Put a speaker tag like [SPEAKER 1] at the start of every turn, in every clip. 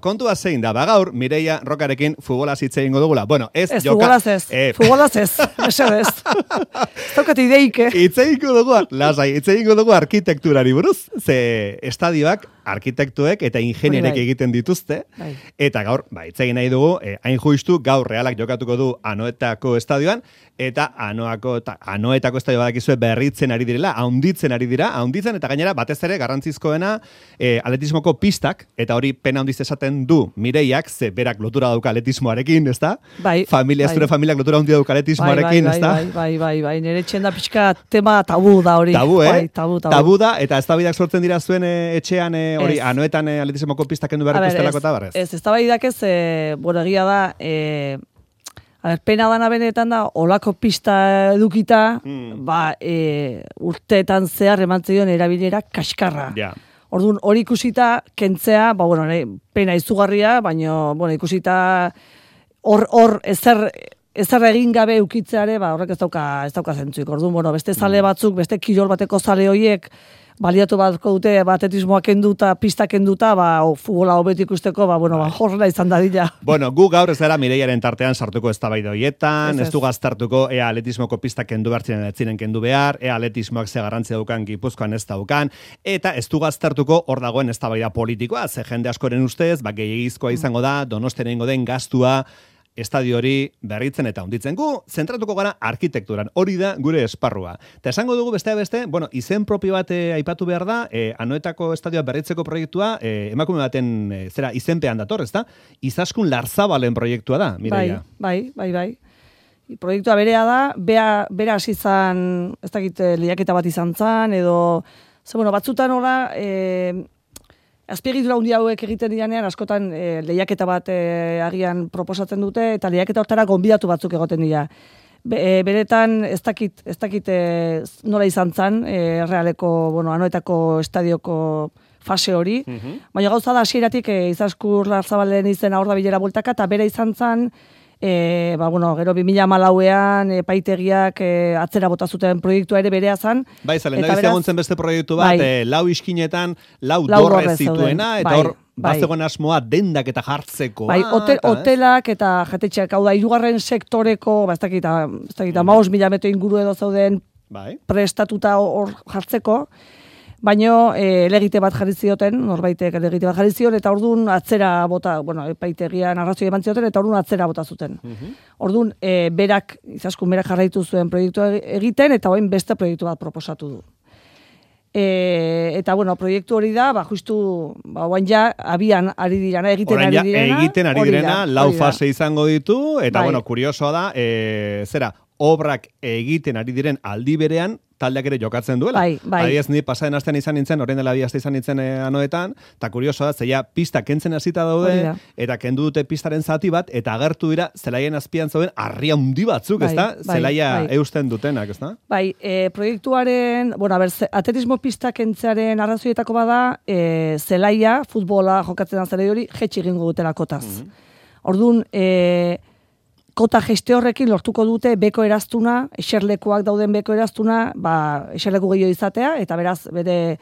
[SPEAKER 1] Kontua zein da, gaur Mireia Rokarekin futbolaz hitz egingo dugula. Bueno, ez
[SPEAKER 2] futbolaz ez, futbolaz ez, ez. Zaukat ideik,
[SPEAKER 1] Hitz egingo dugu arkitekturari buruz, ze estadioak arkitektuek eta ingenierek egiten dituzte, eta gaur, hitz egin nahi dugu, hain justu, gaur Realak jokatuko du Anoetako estadioan, eta Anoetako estadioa badakizue berritzen ari direla, haunditzen eta gainera batez ere garrantzizkoena atletismoko pistak, eta hori pena handiz esaten du Mireiak, ze berak lotura dauka atletismoarekin, ezta?
[SPEAKER 2] Bai.
[SPEAKER 1] Zure familiak lotura handia dauka atletismoarekin, ezta?
[SPEAKER 2] Bai, nire txenda pixka tema tabu da hori.
[SPEAKER 1] Tabu da, eta eztabaidak sortzen dira zuen etxean hori Anoetan atletismoko pistak kendu behar dituztelako eta barrez.
[SPEAKER 2] Eztabaidak ez, egia da, pena dana benetan da, olako pista edukita, urteetan zehar emantzeion erabilera kaskarra. Orduan, hori ikusita, kentzea, pena izugarria, baina, ikusita, hor ezer egin gabe ukitzeare, horrek ez dauka zentzuik. Orduan, beste zale batzuk, beste kirol bateko zale horiek, baliatu batko dute, atletismoa kenduta, pista kenduta, futbola hobetik usteko, horrela izan dadila.
[SPEAKER 1] Bueno, gu gaur ez gara Mireiaren tartean sartuko eztabaida horietan, ez du gaztartuko ea atletismoko pista kendu behar ziren etzinen kendu behar, ea atletismoak ze garrantzia daukan Gipuzkoan ez daukan, eta ez du gaztartuko hor dagoen eztabaida politikoa, ze jende askoren ustez, gehiagizkoa izango da, Donostian egingo den gastua, estadio hori berritzen eta hunditzen. Gu, zentratuko gara arkitekturan. Hori da gure esparrua. Eta esango dugu beste, izen propio bat aipatu behar da, Anoetako estadioa berritzeko proiektua, emakume baten izenpean dator, ezta? Izaskun Larzabalen proiektua da, Mireia.
[SPEAKER 2] Bai. Proiektua berea da, bera hasi zan, ez dakit lehiaketa bat izan zan, edo, batzutan hola, azpiegitura hundi hauek egiten dianean, askotan lehiaketa bat agian proposatzen dute, eta lehiaketa hortara gonbidatu batzuk egoten dira. Beretan, ez dakit nola izan zan, Realeko, Anoetako estadioko fase hori, baina gauza da hasieratik Izaskur Larzabalen izena hor da bilera bueltaka, eta bere izan zan, gero 2014ean epaitegiak atzera bota zuten proiektua ere berea zan.
[SPEAKER 1] Bai, zalen da egontzen beste proiektu bat, lau iskinetan, lau dorre zituena, eta hor bazegoen asmoa dendak eta jartzeko.
[SPEAKER 2] Bai, hotelak eta jatetxeak, hau da, hirugarren sektoreko, ez dakit, 15.000 metro inguru edo zauden prestatuta hor jartzeko, baino elegite bat jarri zioten, norbaitek elegite bat jarri zion, eta orduan atzera bota, epaitegian arrazoi eman zioten, eta orduan atzera bota zuten. Orduan, Izaskun berak jarraitu zuen proiektua egiten, eta orain beste proiektu bat proposatu du. Eta, proiektu hori da, justu, oain ja, abian ari direna,
[SPEAKER 1] egiten ari direna, lau fase izango ditu, eta, kuriosoa da, obrak egiten ari diren aldi berean, taldeak ere jokatzen duela. Adiez, ni pasaden astean izan nintzen, orain dela bi aste izan nintzen Anoetan, eta kuriosoa da, zeia pista kentzen hasita daude, eta kendu dute pistaren zati bat, eta agertu dira, zelaien azpian zauden, arria hundi batzuk, ezta? Zelaia eusten dutenak, ezta?
[SPEAKER 2] Proiektuaren, atletismo pista kentzearen arrazoietako bada, zelaia, futbola jokatzen da zelai hori, jetxi egingo dutela kotaz. Orduan, kota geste horrekin lortuko dute beko eraztuna, eserlekuak dauden beko eraztuna, eserleku gehiago izatea, eta beraz, bere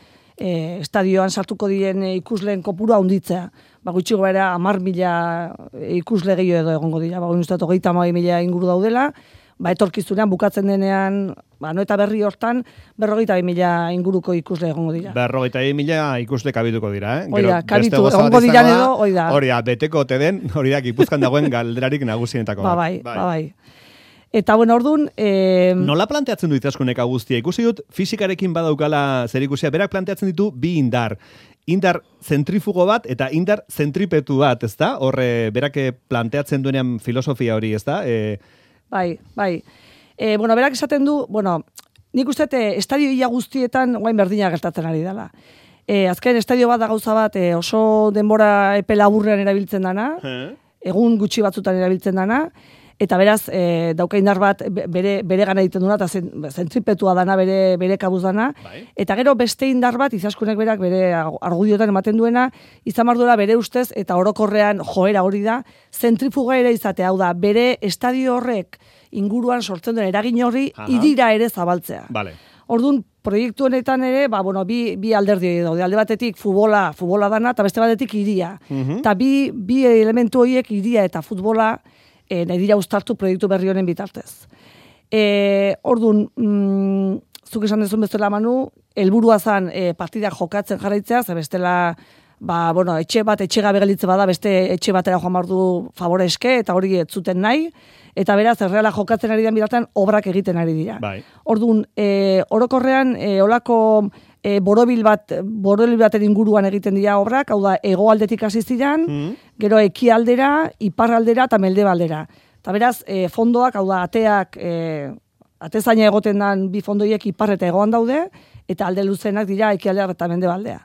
[SPEAKER 2] estadioan sartuko diren ikusleen kopurua handitzea. Gutxiko bera 10.000 ikusle gehiago edo egongo dira, 30.000 inguru daudela, etorkizunean bukatzen denean, Anoeta berri hortan, 42.000 inguruko ikusle egongo dira.
[SPEAKER 1] 42.000 ikusle kabituko dira,
[SPEAKER 2] Oida, kabitu, egongo dira edo, oida.
[SPEAKER 1] Hori da, beteko ote den, hori da, Gipuzkoan dagoen galderarik nagusienetako.
[SPEAKER 2] Bai. Eta, orduan...
[SPEAKER 1] Nola planteatzen du Izaskunek guztia? Ikusi dut, fisikarekin badaukala zer ikusia, berak planteatzen ditu bi indar. Indar zentrifugo bat eta indar zentripetu bat, ezta? Horre, berak planteatzen duenean filosofia hori, ezta?
[SPEAKER 2] Bai. Berak esaten du, nik uste estadio guztietan guain berdina gertatzen ari dela. Azken estadio bat da gauza bat oso denbora epe laburrean erabiltzen dana, egun gutxi batzutan erabiltzen dana, eta beraz, dauka indar bat bere gana egiten duna, eta zentripetua dana, bere kabuz dana, eta gero beste indar bat, Izaskunek berak bere argudiotan ematen duena, izan duela bere ustez, eta orokorrean joera hori da, zentrifuga ere izatea, hau da, bere estadio horrek inguruan sortzen duen eragin horri, irira ere zabaltzea. Orduan, proiektu honetan ere, bueno, bi alderdi daude. Alde batetik futbola dana, eta beste batetik hiria. Eta bi elementu horiek hiria eta futbola nahi dira uztartu proiektu berri honen bitartez. Orduan, zuk esan dezun bezala Manu, helburua zen partidak jokatzen jarraitzea, ze bestela etxe gabe gelditzen bada, beste etxe batera joan behar du favore eske, eta hori ez zuten nahi, eta beraz, erreala jokatzen ari den bitartean, obrak egiten ari dira.
[SPEAKER 1] Bai.
[SPEAKER 2] Orduan, orokorrean, olako borobil baten inguruan egiten dira obrak, hau da, hegoaldetik hasi ziren, gero ekialdera, iparraldera eta mendebaldera. Eta beraz, fondoak, hau da, atezaina egoten dan bi fondoiek ipar eta hegoan daude, eta alde luzenak dira ekialdea eta mendebaldea.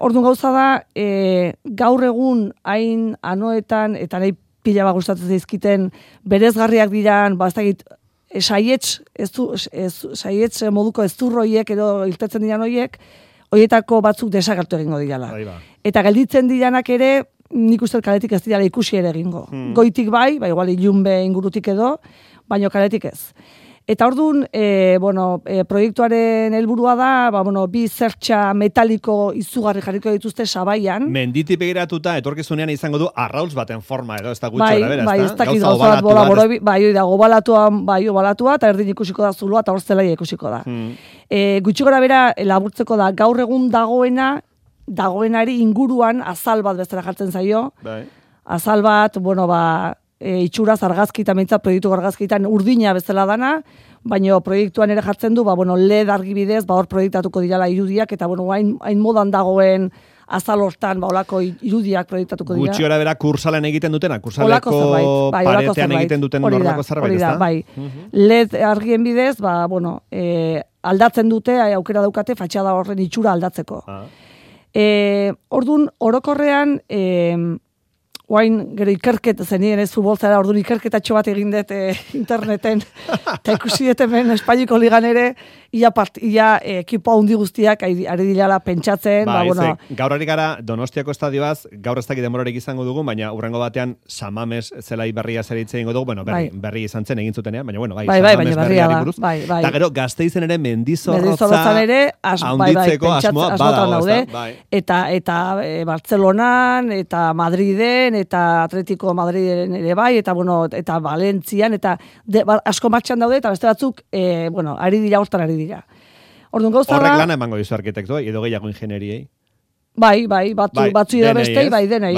[SPEAKER 2] Orduan gauza da, gaur egun hain anoetan, eta nahi pila gustatzen zaizkiten, berezgarriak diran, saietz moduko ezurroiek edo irtetzen diran hoiek, horietako batzuk desagertu egingo dirala. Eta gelditzen diranak ere, nik uste kaletik ez dira ikusi ere egingo. Goitik bai, igual ilunbe ingurutik edo, baino kaletik ez. Eta orduan, proiektuaren helburua da, bi zertxa metaliko izugarri jarriko dituzte sabaian.
[SPEAKER 1] Menditi begiratuta, etorkizunean izango du arrauz baten forma, edo ez da gutxora, bera,
[SPEAKER 2] ez da? Gauza obalatua, eta erdin ikusiko da zulua, eta hor zelaia ikusiko da. Gutxi gora bera, laburtzeko da, gaur egun dagoenari inguruan azal bat bezala jartzen zaio. Azal bat, itxuraz argazkita, meintzat proiektu argazkitan urdina bezala dana, baina proiektuan ere jartzen du, LED argibidez, hor proiektatuko dirala irudiak, eta hain modan dagoen azal hortan, olako irudiak proiektatuko dira.
[SPEAKER 1] Gutxi hora bera kursalen egiten dutena, kursaleko paretean egiten duten horrelako zerbait, ez da?
[SPEAKER 2] Bai, LED argien bidez, aldatzen dute, aukera daukate, fatxada horren itxura aldatzeko. Orduan, orokorrean, Oain, gero ikerketa zenien ez futbolzara, orduan ikerketatxo bat egin dut interneten, eta ikusi dut hemen Espainiko ligan ere, ia ekipo handi guztiak ari dilala pentsatzen.
[SPEAKER 1] Gaur ari gara Donostiako estadioaz, gaur ez dakit denborarik izango dugu, baina urrengo batean Samames zelai berria zeritze egingo dugu, berri izan zen egin zutenean, baina Samames berriari buruz. Eta gero Gasteizen ere Mendizorrotza haunditzeko asmoa badago.
[SPEAKER 2] Eta Bartzelonan, eta Madriden, eta Atletico Madriden ere bai, eta Valentzian, eta asko martxan daude, eta beste batzuk, ari dira, hortan ari dira.
[SPEAKER 1] Horrek lana emango dizu arkitektua, edo gehiago ingenieriei?
[SPEAKER 2] Bai, batzu edo bestei, denei,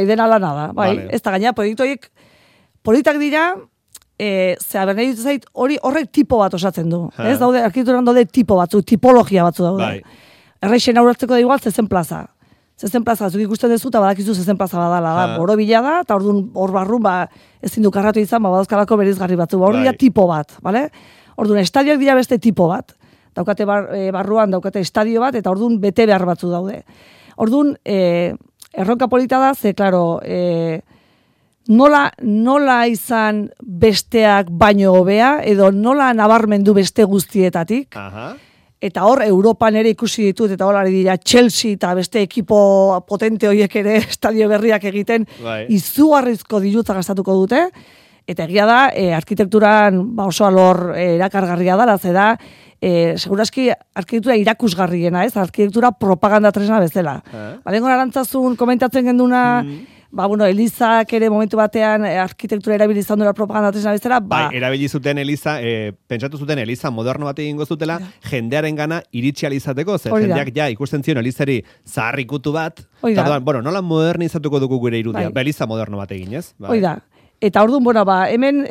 [SPEAKER 2] dena lana da. Ez da gaina, proiektuak politak dira, nahi dut zait, horrek tipo bat osatzen du. Ez daude, arkitekturan daude tipo batzu, tipologia batzu daude. Erreixen aurretzeko da igual, zezen plaza. Zezen plaza, zuk ikusten dezu, eta badakizu zezen plaza badala, borobila da, eta orduan hor barrun, ezin du karratu izan, badazkalako berizgarri batzu, hor dira tipo bat, bale? Orduan, estadioak dira beste tipo bat. Daukate barruan, daukate estadio bat, eta orduan bete behar batzu daude. Orduan, erronka polita da, ze, klaro, nola izan besteak baino hobea, edo nola nabarmendu beste guztietatik, eta hor, Europan ere ikusi ditut, eta hor ari dira Chelsea eta beste ekipo potente horiek ere estadio berriak egiten, izugarrizko dirutza gastatuko dute, eta egia da, arkitekturan oso alor erakargarria da, da, segurazki arkitektura irakusgarriena, ez? Arkitektura propaganda tresna bezala. Balengo arantzazun komentatzen genduna, Elizak ere momentu batean arkitektura erabili izan dura propaganda tresna bezala.
[SPEAKER 1] Erabili zuten Eliza, pentsatu zuten Eliza moderno bat egingo zutela, jendearen gana iritsi alizateko, jendeak ikusten zion Elizari zaharrikutu bat, nola modernizatuko dugu gure irudia, Eliza moderno bat egin, ez?
[SPEAKER 2] Oida. Eta orduan, hemen,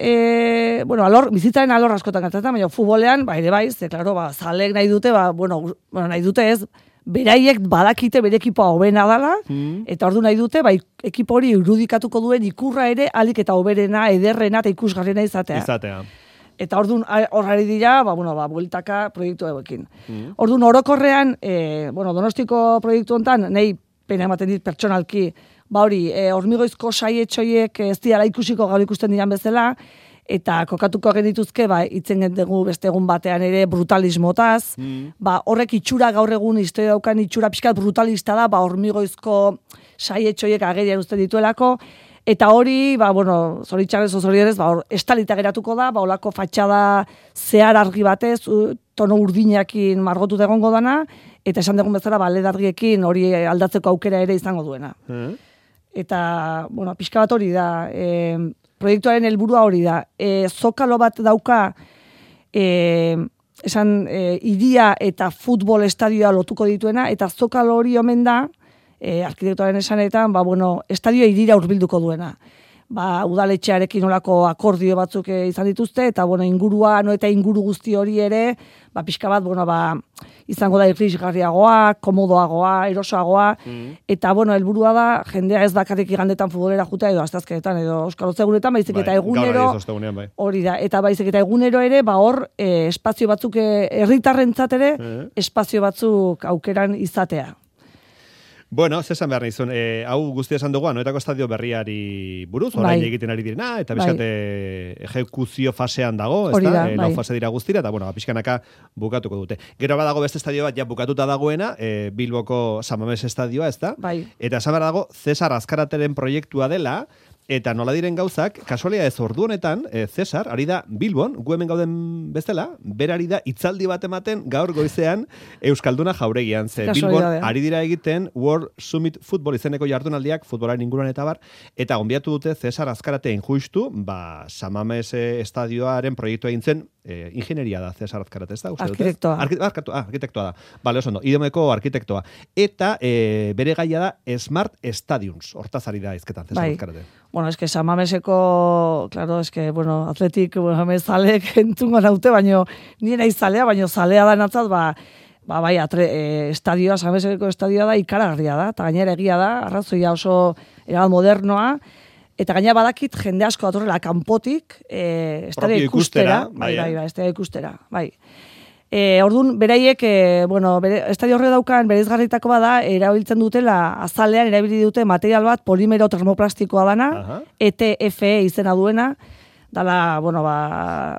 [SPEAKER 2] bizitzaren alor askotan gertatzen, baina futbolean, ere ze, klaro, zalek nahi dute, nahi dute ez, beraiek badakite bere ekipoa hobena dala, eta ordu nahi dute, ekipo hori irudikatuko duen ikurra ere, alik eta hoberena, ederrena eta ikusgarrena izatea. Eta orduan, horrari dira, bueltaka proiektu hauekin. Orduan, orokorrean, Donostiko proiektu hontan, nahi pena ematen dit pertsonalki, hormigoizko saietxoiek ez dira ikusiko gaur ikusten diran bezala, eta kokatuko genituzke, itzen dugu beste egun batean ere brutalismotaz, horrek itxura gaur egun, historia daukan itxura pixkat brutalista da, hormigoizko saietxoiek agerian uzten dituelako, eta hori, zoritxarrez, estalita geratuko da, olako fatxada zehar argi batez, tono urdinakin margotu egongo dana, eta esan dugun bezala, ledargiekin hori aldatzeko aukera ere izango duena. Eta, bueno, pixka bat hori da, proiektuaren helburua hori da. Zokalo bat dauka, iria eta futbol estadioa lotuko dituena, eta zokalo hori omen da, arkitektoaren esanetan, estadioa irira hurbilduko duena. Udaletxearekin olako akordio batzuk izan dituzte, eta ingurua, eta inguru guzti hori ere, pixka bat, izango da irrisgarriagoa, komodoagoa, erosoagoa, eta, helburua da, jendea ez bakarrik igandetan futbolera jutea, edo astazkenetan, edo Euskalotze egunetan, baizik eta egunero, hori da, eta baizik eta egunero ere, hor, espazio batzuk, herritarrentzat ere, espazio batzuk aukeran izatea.
[SPEAKER 1] Bueno, zesan behar nizun, hau guztia esan dugu, Anoetako estadio berriari buruz, orain egiten ari direna, eta bizkate ejekuzio fasean dago, ez da? Lau fase dira guztira, eta pixkanaka bukatuko dute. Gero badago beste estadio bat, ja bukatuta dagoena, Bilboko San Mames estadioa, ez da? Eta esan behar dago, Cesar Azkarateren proiektua dela, eta nola diren gauzak, kasualia ez ordu honetan, Cesar, ari da Bilbon, gu hemen gauden bezala, berari da itzaldi bat ematen gaur goizean Euskalduna Jauregian. Bilbon ari dira egiten World Summit Football izeneko jardunaldiak, futbolaren inguruan eta bar, eta gonbiatu dute Cesar Azkarate injustu, San Mames estadioaren proiektua egin zen, ingenieria da Cesar Azkarate, ez da?
[SPEAKER 2] Arkitektoa.
[SPEAKER 1] Arkitektoa da. Bale, oso ondo, idomeko arkitektoa. Eta bere gaia da Smart Stadiums, hortaz ari da izketan Cesar Azkarate.
[SPEAKER 2] Bueno, es que San Mameseko, claro, es que, atletik, zalek entzungo naute, baino, nire nahi zalea, baino zalea da natzat, estadioa, San Mameseko estadioa da, ikaragarria da, eta gainera egia da, arrazoia oso era modernoa, eta gainera badakit jende asko datorrela kanpotik, estadio ikustera, estadio ikustera, Orduan, beraiek, estadio horre daukan, bereizgarritako bada, erabiltzen dutela, azalean erabili dute material bat, polimero termoplastikoa dana, ETFE izena duena, dala,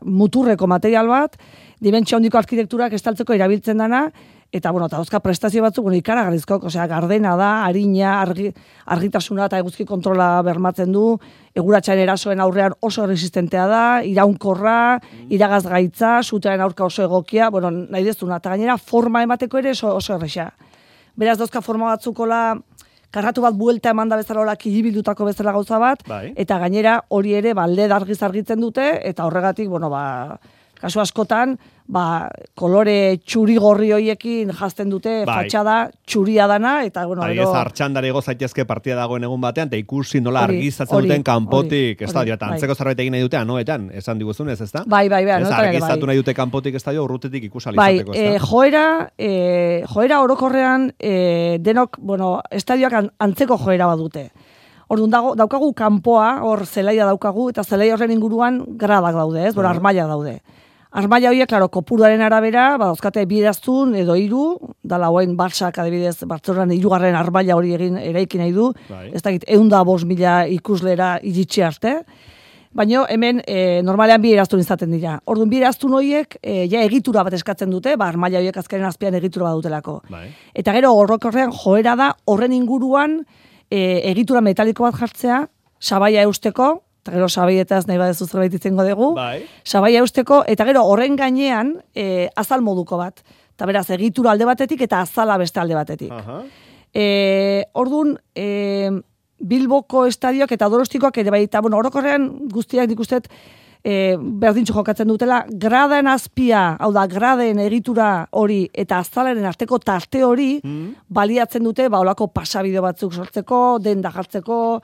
[SPEAKER 2] muturreko material bat, dimentsio handiko arkitekturak estaltzeko erabiltzen dana, eta, eta dauzka prestazio batzuk, ikaragarrizkok, gardena da, harina, argitasuna eta eguzki kontrola bermatzen du, eguratxaren erasoen aurrean oso resistentea da, iraunkorra, iragazgaitza, sutearen aurka oso egokia, nahi dezuna, eta gainera forma emateko ere oso erresa. Beraz dauzka forma batzukola, karratu bat buelta eman da bezala horak hilibildutako bezala gauza bat, eta gainera hori ere led argiz argitzen dute, eta horregatik, kasu askotan, kolore txuri-gorri hoiekin jazten dute fatxada txuria dana, eta,
[SPEAKER 1] ez hartxandare gozaitezke partia dagoen egun batean, eta ikusi nola argizatzen duten kanpotik estadio, eta antzeko zerbait egin nahi dute Anoetan, esan diguzunez, ez da? Argizatu nahi dute kanpotik estadio, urrutetik ikusalizateko, ez
[SPEAKER 2] da? Joera orokorrean, denok, estadioak antzeko joera badute. Orduan daukagu kanpoa, hor zelaia daukagu, eta zelaia horren inguruan gradak daude, ez? Armaila daude. Armaila horiek, kopuruaren arabera, dauzkate bi eraztun edo 3, dala hoain Barsak adibidez, Bartzelonan 3. armaila hori eraiki nahi du, ez dakit 105.000 ikuslera iritsi arte, baina hemen normalean bi eraztun izaten dira. Orduan bi eraztun horiek egitura bat eskatzen dute, armaila horiek azkaren azpian egitura bat dutelako. Eta gero horrokorrean joera da, horren inguruan egitura metaliko bat jartzea, sabaia eusteko, eta gero sabaietaz nahi badezu zerbait izango dugu, sabaia eusteko, eta gero horren gainean azal moduko bat. Eta beraz, egitura alde batetik eta azala beste alde batetik. Orduan, Bilboko estadioak eta Donostikoak ere baita, orokorrean guztiak ikustet berdintxo jokatzen dutela, graden azpia, hau da, graden egitura hori eta azalaren arteko tarte hori baliatzen dute, olako pasabide batzuk sortzeko, denda jartzeko,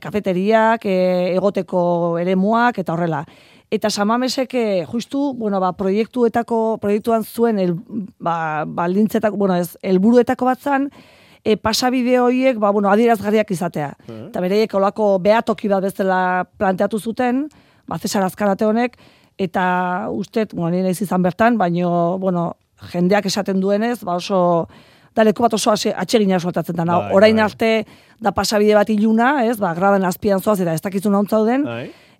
[SPEAKER 2] kafeteriak, egoteko eremuak, eta horrela. Eta San Mamesek, justu, proiektuan zuen baldintzetako, helburuetako batzan, pasabide horiek, adierazgarriak izatea. Eta bereiek olako behatoki bat bezala planteatu zuten, Cesar Azkarate honek, eta ustet, nire naiz izan bertan, baino, jendeak esaten duenez, oso, leku bat oso atsegina suertatzen da. Orain arte, da pasabide bat iluna, graden azpian zoaz, eta ez dakitzun hau zauden,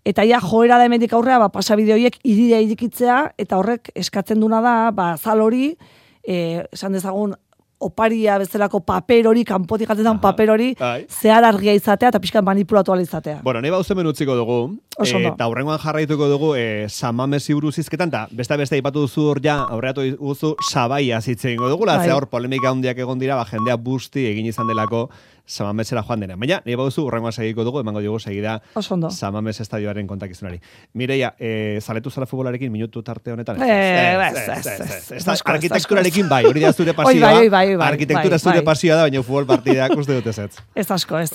[SPEAKER 2] eta joera da hemendik aurrea, pasabide horiek irira irikitzea, eta horrek eskatzen duna da, zal hori, esan dezagun, oparia bezalako paper hori, kanpotik jaten den paper hori, zehar argia izatea eta pixka manipulatu ala izatea.
[SPEAKER 1] Bueno, nahi bauzen utziko dugu, eta hurrengoan jarraituko dugu San Mamesi buruz izketan, eta beste ipatu duzu hor ja, aurreatu duzu sabaia zitzen dugula, ze hor polemika handiak egon dira, jendea busti egin izan delako San Mamesera joan dena. Baina, nahi bauzu hurrengoan segiko dugu, emango dugu segida San Mames estadioaren kontakizunari. Mireia, zaletu zara futbolarekin minutu tarte honetan? Arkitekturarekin bai, hori da zure pasioa. Arkitektura zure pasioa da, baina futbol partideak uste dut ez.
[SPEAKER 2] Ez asko, ez.